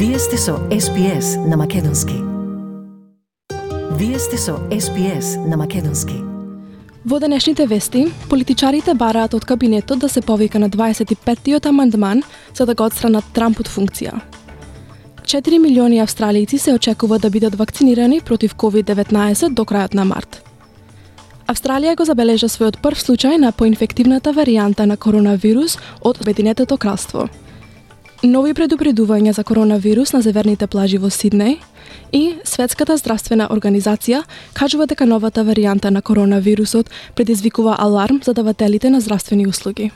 Вие сте со SPS на Македонски. Вие сте со SPS на Македонски. Во денешните вести, политичарите бараат од кабинетот да се повика на 25-тиот амандман за да го отстранат Трамп од функција. 4 милиони австралијци се очекува да бидат вакцинирани против COVID-19 до крајот на март. Австралија го забележа својот прв случај на поинфективната варијанта на коронавирус од Обединетото кралство. Нови предупредувања за коронавирус на северните плажи во Сиднеј и Светската здравствена организација кажува дека новата варијанта на коронавирусот предизвикува аларм за давателите на здравствени услуги.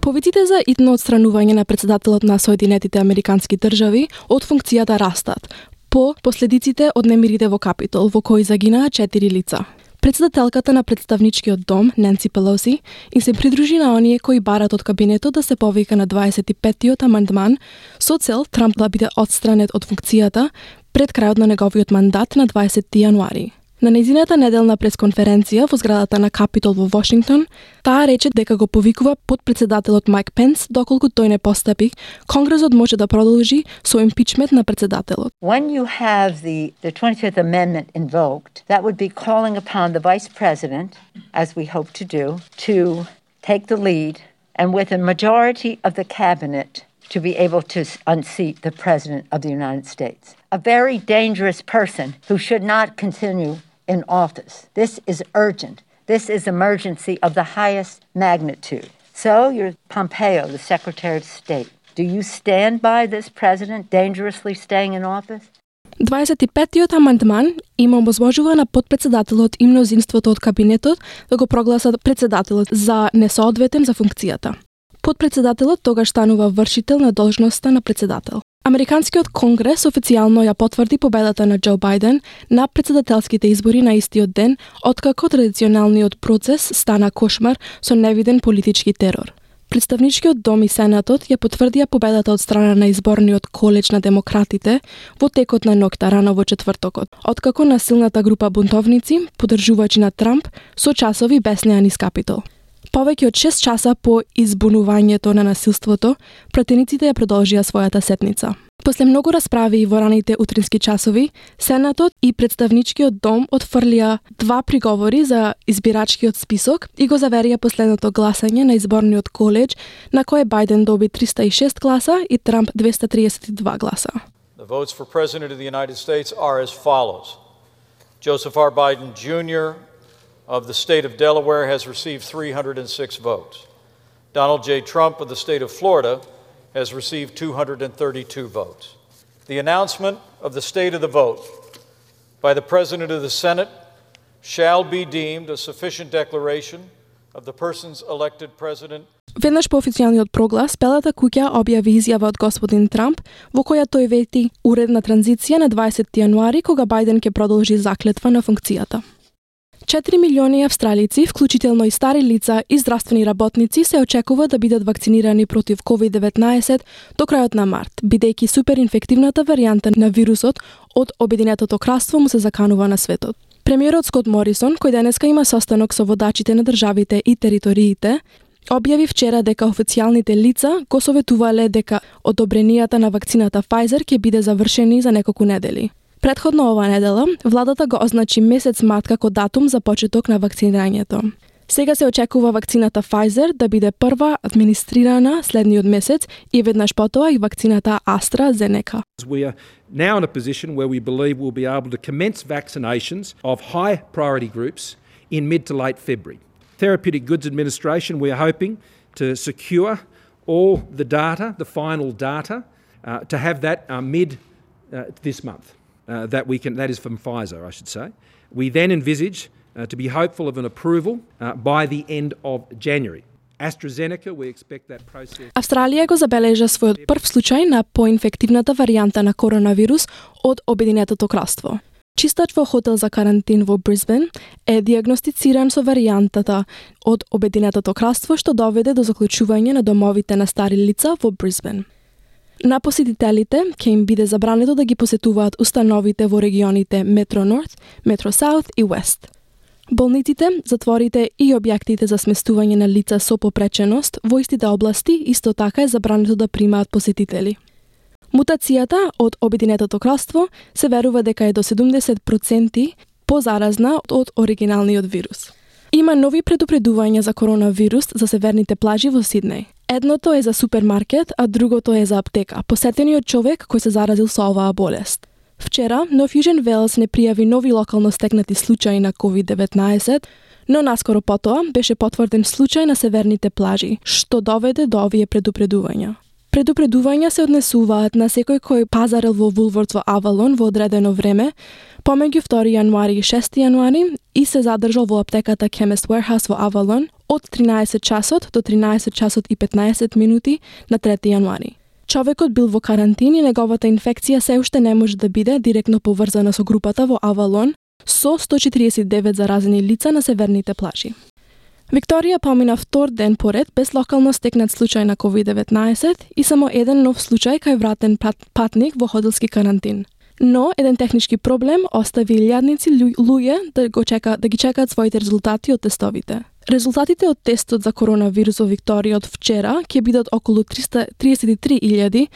Повиците за итно отстранување на председателот на Соединетите Американски држави од функцијата растат по последиците од немирите во Капитол, во кои загинаа 4 лица. Председателката на представничкиот дом, Ненси Пелоси, им се придружи на оние кои барат од кабинетот да се повика на 25-тиот амандман со цел Трамп да биде отстранет од функцијата пред крајот на неговиот мандат на 20 јануари. На нејзината неделна пресконференција во зградата на Капитол во Вашингтон, таа рече дека го повикува подпредседателот Майк Пенс доколку тој не постапи, Конгресот може да продолжи со импичмент на председателот. When you have the 25th Amendment invoked, that would be calling upon the Vice President, as we hope to do, to take the lead and with a majority of the cabinet to be able to unseat the President of the United States. A very dangerous person who should not continue in office. This is urgent. This is emergency of the highest magnitude. So, you're Pompeo, the Secretary of State. Do you stand by this president dangerously staying in office? 25-тиот амандман им обозможува на подпредседателот и мнозинството од кабинетот да го прогласат председателот за несоодветен за функцијата. Подпредседателот тогаш станува вршител на должноста на председател. Американскиот конгрес официјално ја потврди победата на Џо Бајден на председателските избори на истиот ден, откако традиционалниот процес стана кошмар со невиден политички терор. Представничкиот дом и Сенатот ја потврдија победата од страна на изборниот колеж на демократите во текот на ноќта рано во четвртокот, откако насилната група бунтовници, поддржувачи на Трамп, со часови беснеа низ Капитол. Повеќе од 6 часа по избунувањето на насилството, пратениците ја продолжија својата сетница. После многу расправи во раните утрински часови, Сенатот и представничкиот дом отфрлија 2 приговори за избирачкиот список и го заверија последното гласање на изборниот колеж, на кое Бајден доби 306 гласа и Трамп 232 гласа. The votes for President of the United States are as follows. Joseph R. Biden Jr. of the state of Delaware has received 306 votes. Donald J. Trump of the state of Florida has received 232 votes. The announcement of the state of the vote by the President of the Senate shall be deemed a sufficient declaration of the persons elected president. Веднаш по официјалниот проглас, Белата куќа објави изјава од господин Трамп, во која тој вети уредна транзиција на 20 јануари, кога Бајден ќе продолжи заклетва на функцијата. 4 милиони австралијци, вклучително и стари лица и здравствени работници, се очекува да бидат вакцинирани против COVID-19 до крајот на март, бидејќи суперинфективната варијанта на вирусот од Обединетото кралство му се заканува на светот. Премиерот Скот Морисон, кој денеска има состанок со водачите на државите и териториите, објави вчера дека официјалните лица го советувале дека одобренијата на вакцината Pfizer ќе биде завршени за неколку недели. Претходно оваа недела, владата го означи месец март како датум за почеток на вакцинирањето. Сега се очекува вакцината Pfizer да биде прва администрирана следниот месец и веднаш потоа и вакцината AstraZeneca. We are now in a position where we believe we'll be able to commence vaccinations of high priority groups in mid to late February. Therapeutic Goods Administration, we are hoping to secure all the data, the final data, to have that mid this month. That is from Pfizer, I should say. We then envisage to be hopeful of an approval by the end of January. AstraZeneca, we expect that process. Австралија го забележа својот прв случај на поинфективната варијанта на коронавирус од Обединетото кралство. Чистач во хотел за карантин во Брисбен е диагностициран со варијантата од Обединетото кралство, што доведе до заклучување на домовите на стари лица во Брисбен. На посетителите ќе им биде забрането да ги посетуваат установите во регионите Метро Норт, Метро Саут и Уест. Болниците, затворите и објектите за сместување на лица со попреченост во истите области исто така е забрането да примаат посетители. Мутацијата од Обединетото кралство се верува дека е до 70% позаразна од оригиналниот вирус. Има нови предупредувања за коронавирус за северните плажи во Сиднеј. Едното е за супермаркет, а другото е за аптека, посетени од човек кој се заразил со оваа болест. Вчера, Нов Јужен Велс не пријави нови локално стекнати случаи на COVID-19, но наскоро потоа беше потврден случај на северните плажи, што доведе до овие предупредувања. Предупредувања се однесуваат на секој кој пазарил во Вулвордс во Авалон во одредено време, помеѓу 2 јануари и 6 јануари и се задржал во аптеката Chemist Warehouse во Авалон од 13 часот до 13 часот и 15 минути на 3 јануари. Човекот бил во карантин и неговата инфекција се уште не може да биде директно поврзана со групата во Авалон со 149 заразени лица на северните плажи. Викторија помина втор ден поред без локално стекнат случај на COVID-19 и само еден нов случај кај вратен патник во хотелски карантин. Но еден технички проблем остави илјадници луѓе да ги чекаат своите резултати од тестовите. Резултатите од тестот за коронавирус во Викторија од вчера ќе бидат околу 333.000,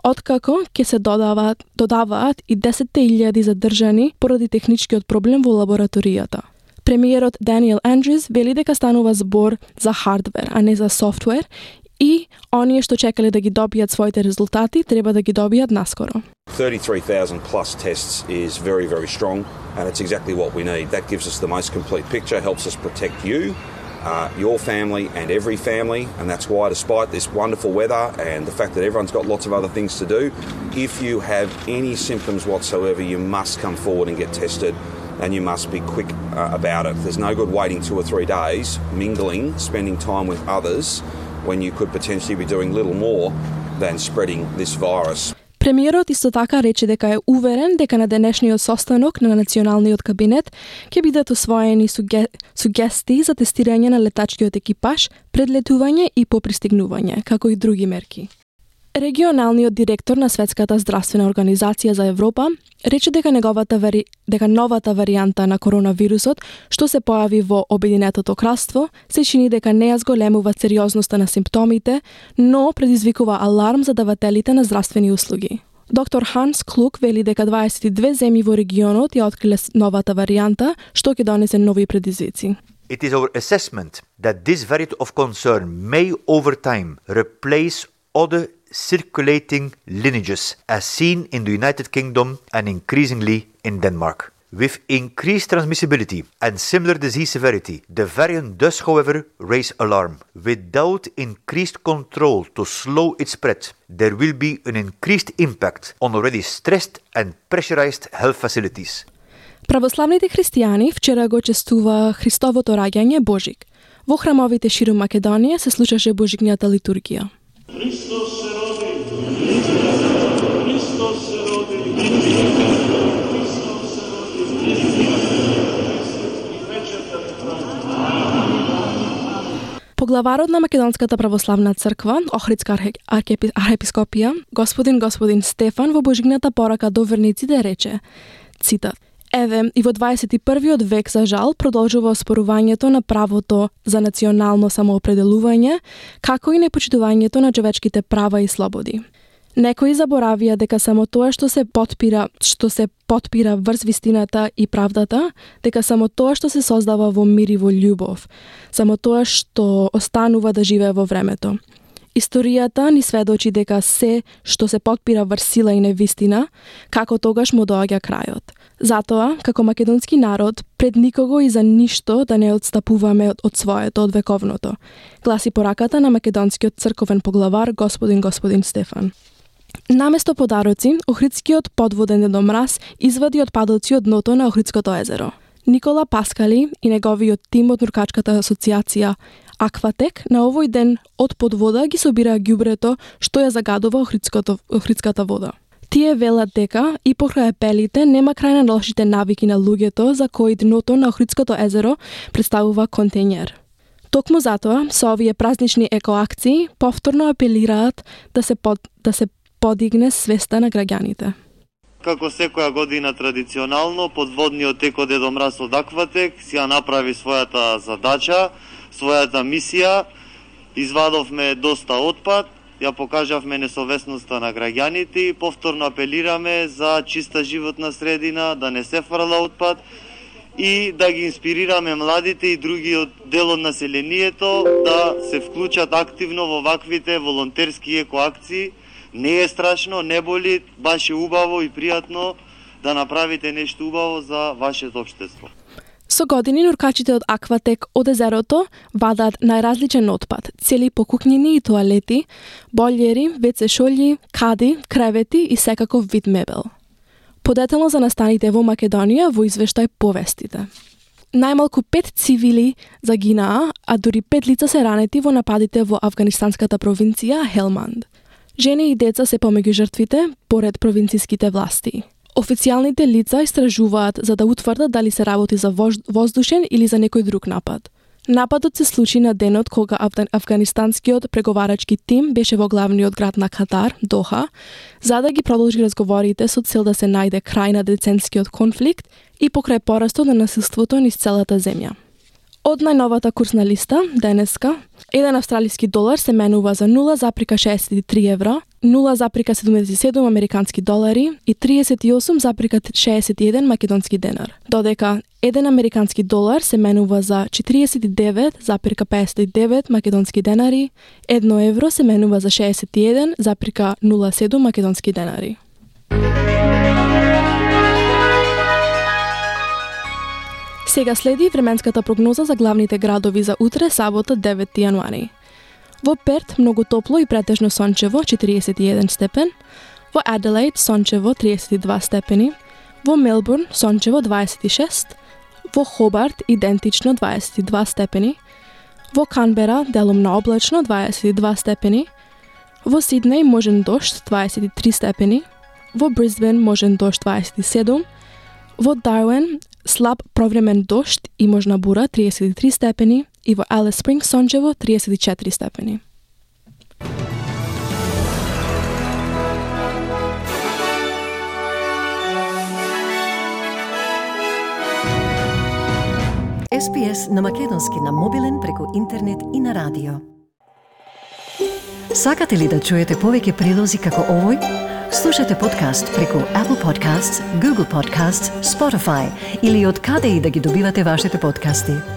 откако ќе се додаваат и 10.000 задржани поради техничкиот проблем во лабораторијата. Премиерот Даниел Андрюс вели дека станува збор за хардвер, а не за софтвер, и оние што чекале да ги добијат своите резултати треба да ги добијат наскоро. 33,000 plus tests is very, very strong, and it's exactly what we need. That gives us the most complete picture, helps us protect you, your family and every family, and that's why despite this wonderful weather and the fact that everyone's got lots of other things to do, if you have any symptoms whatsoever, you must come forward and get tested, and you must be quick about it. There's no good waiting 2 or 3 days, mingling, spending time with others, when you could potentially be doing little more than spreading this virus. Премиерот исто така рече дека е уверен дека на денешниот состанок на Националниот кабинет ќе бидат усвоени сугестии за тестирање на летачкиот екипаж пред летување и по пристигнување, како и други мерки. Регионалниот директор на Светската здравствена организација за Европа рече дека новата варијанта на коронавирусот, што се појави во Обединетото кралство, се чини дека не ја зголемува сериозноста на симптомите, но предизвикува аларм за давателите на здравствени услуги. Доктор Ханс Клук вели дека 22 земји во регионот ја откриле новата варијанта, што ќе донесе нови предизвици. It is our assessment that this variant of concern may over time replace other circulating lineages as seen in the United Kingdom and increasingly in Denmark. With increased transmissibility and similar disease severity, the variant does, however, raise alarm. Without increased control to slow its spread, there will be an increased impact on already stressed and pressurized health facilities. Православните христијани вчера го честува Христовото раѓање Божик. Во храмовите широм Македонија се слушаше Божикнијата литургија. Христос се роди, Христос се роди, Христос се роди, вечерта Поглаварот на Македонската православна црква, Охридска архиепископија, господин Стефан во Божигната порака до верниците рече, цитат: Еве, и во 21. век, за жал, продолжува оспорувањето на правото за национално самоопределување, како и непочитувањето на човечките права и слободи. Некои заборавија дека само тоа што се потпира врз вистината и правдата, дека само тоа што се создава во мир и во љубов, само тоа што останува да живее во времето. Историјата ни сведочи дека се што се потпира врз сила и невистина, како тогаш му доаѓа крајот. Затоа, како македонски народ, пред никого и за ништо да не отстапуваме од своето, од вековното, гласи пораката на македонскиот црковен поглавар господин Стефан. Наместо подароци, Охридскиот подводен недомраз извади отпадоци од дното на Охридското езеро. Никола Паскали и неговиот тим од Нуркачката асоциација Акватек на овој ден од подвода ги собира ѓубрето што ја загадува Охридската вода. Тие велат дека и покрај апелите нема крај на лошите навики на луѓето за кои дното на Охридското езеро представува контејнер. Токму затоа, со овие празнични екоакции, повторно апелираат да се подигне свеста на граѓаните. како секоја година традиционално, подводниот екодедо Мраз од Акватек си ја направи својата задача, својата мисија. Извадовме доста отпад, ја покажавме несовесноста на граѓаните и повторно апелираме за чиста животна средина, да не се фрла отпад и да ги инспирираме младите и другиот дел од населението да се вклучат активно во ваквите волонтерски екоакции. Не е страшно, не боли, баш е убаво и пријатно да направите нешто убаво за вашето општество. Со години нуркачите од Акватек од езерото вадаат најразличен отпад, цели покукњини и тоалети, бољери, веце шолји, кади, кревети и секаков вид мебел. Подетално за настаните во Македонија во извештај повестите. Најмалку 5 цивили загинаа, а дури 5 лица се ранети во нападите во афганистанската провинција Хелманд. Жени и деца се помеѓу жртвите, поред провинцијските власти. Официјалните лица истражуваат за да утврдат дали се работи за воздушен или за некој друг напад. Нападот се случи на денот кога афганистанскиот преговарачки тим беше во главниот град на Катар, Доха, за да ги продолжи разговорите со цел да се најде крај на деценскиот конфликт и покрај порастот на насилството низ целата земја. Од најновата курсна листа, денеска, 1 австралиски долар се менува за 0,63 евро, 0,77 американски долари и 38,61 македонски денар, додека 1 американски долар се менува за 49,59 македонски денари, 1 евро се менува за 61,07 македонски денари. Сега следи временската прогноза за главните градови за утре, сабота, 9 јануари. Во Перт многу топло и претежно сончево, 41 степен. Во Аделаид сончево, 32 степени. Во Мелбурн сончево, 26. Во Хобарт идентично, 22 степени. Во Канбера делумно облачно, 22 степени. Во Сиднеј можен дожд, 23 степени. Во Брисбен можен дожд, 27. Во Дарвин слаб провремен дожд и можна бура, 33 степени, и во Алис Спрингс сончево, 34 степени. SPS на македонски на мобилен преку интернет и на радио. Сакате ли да чуете повеќе прилози како овој? Слушате подкаст преку Apple Podcasts, Google Podcasts, Spotify или од каде и да ги добивате вашите подкасти.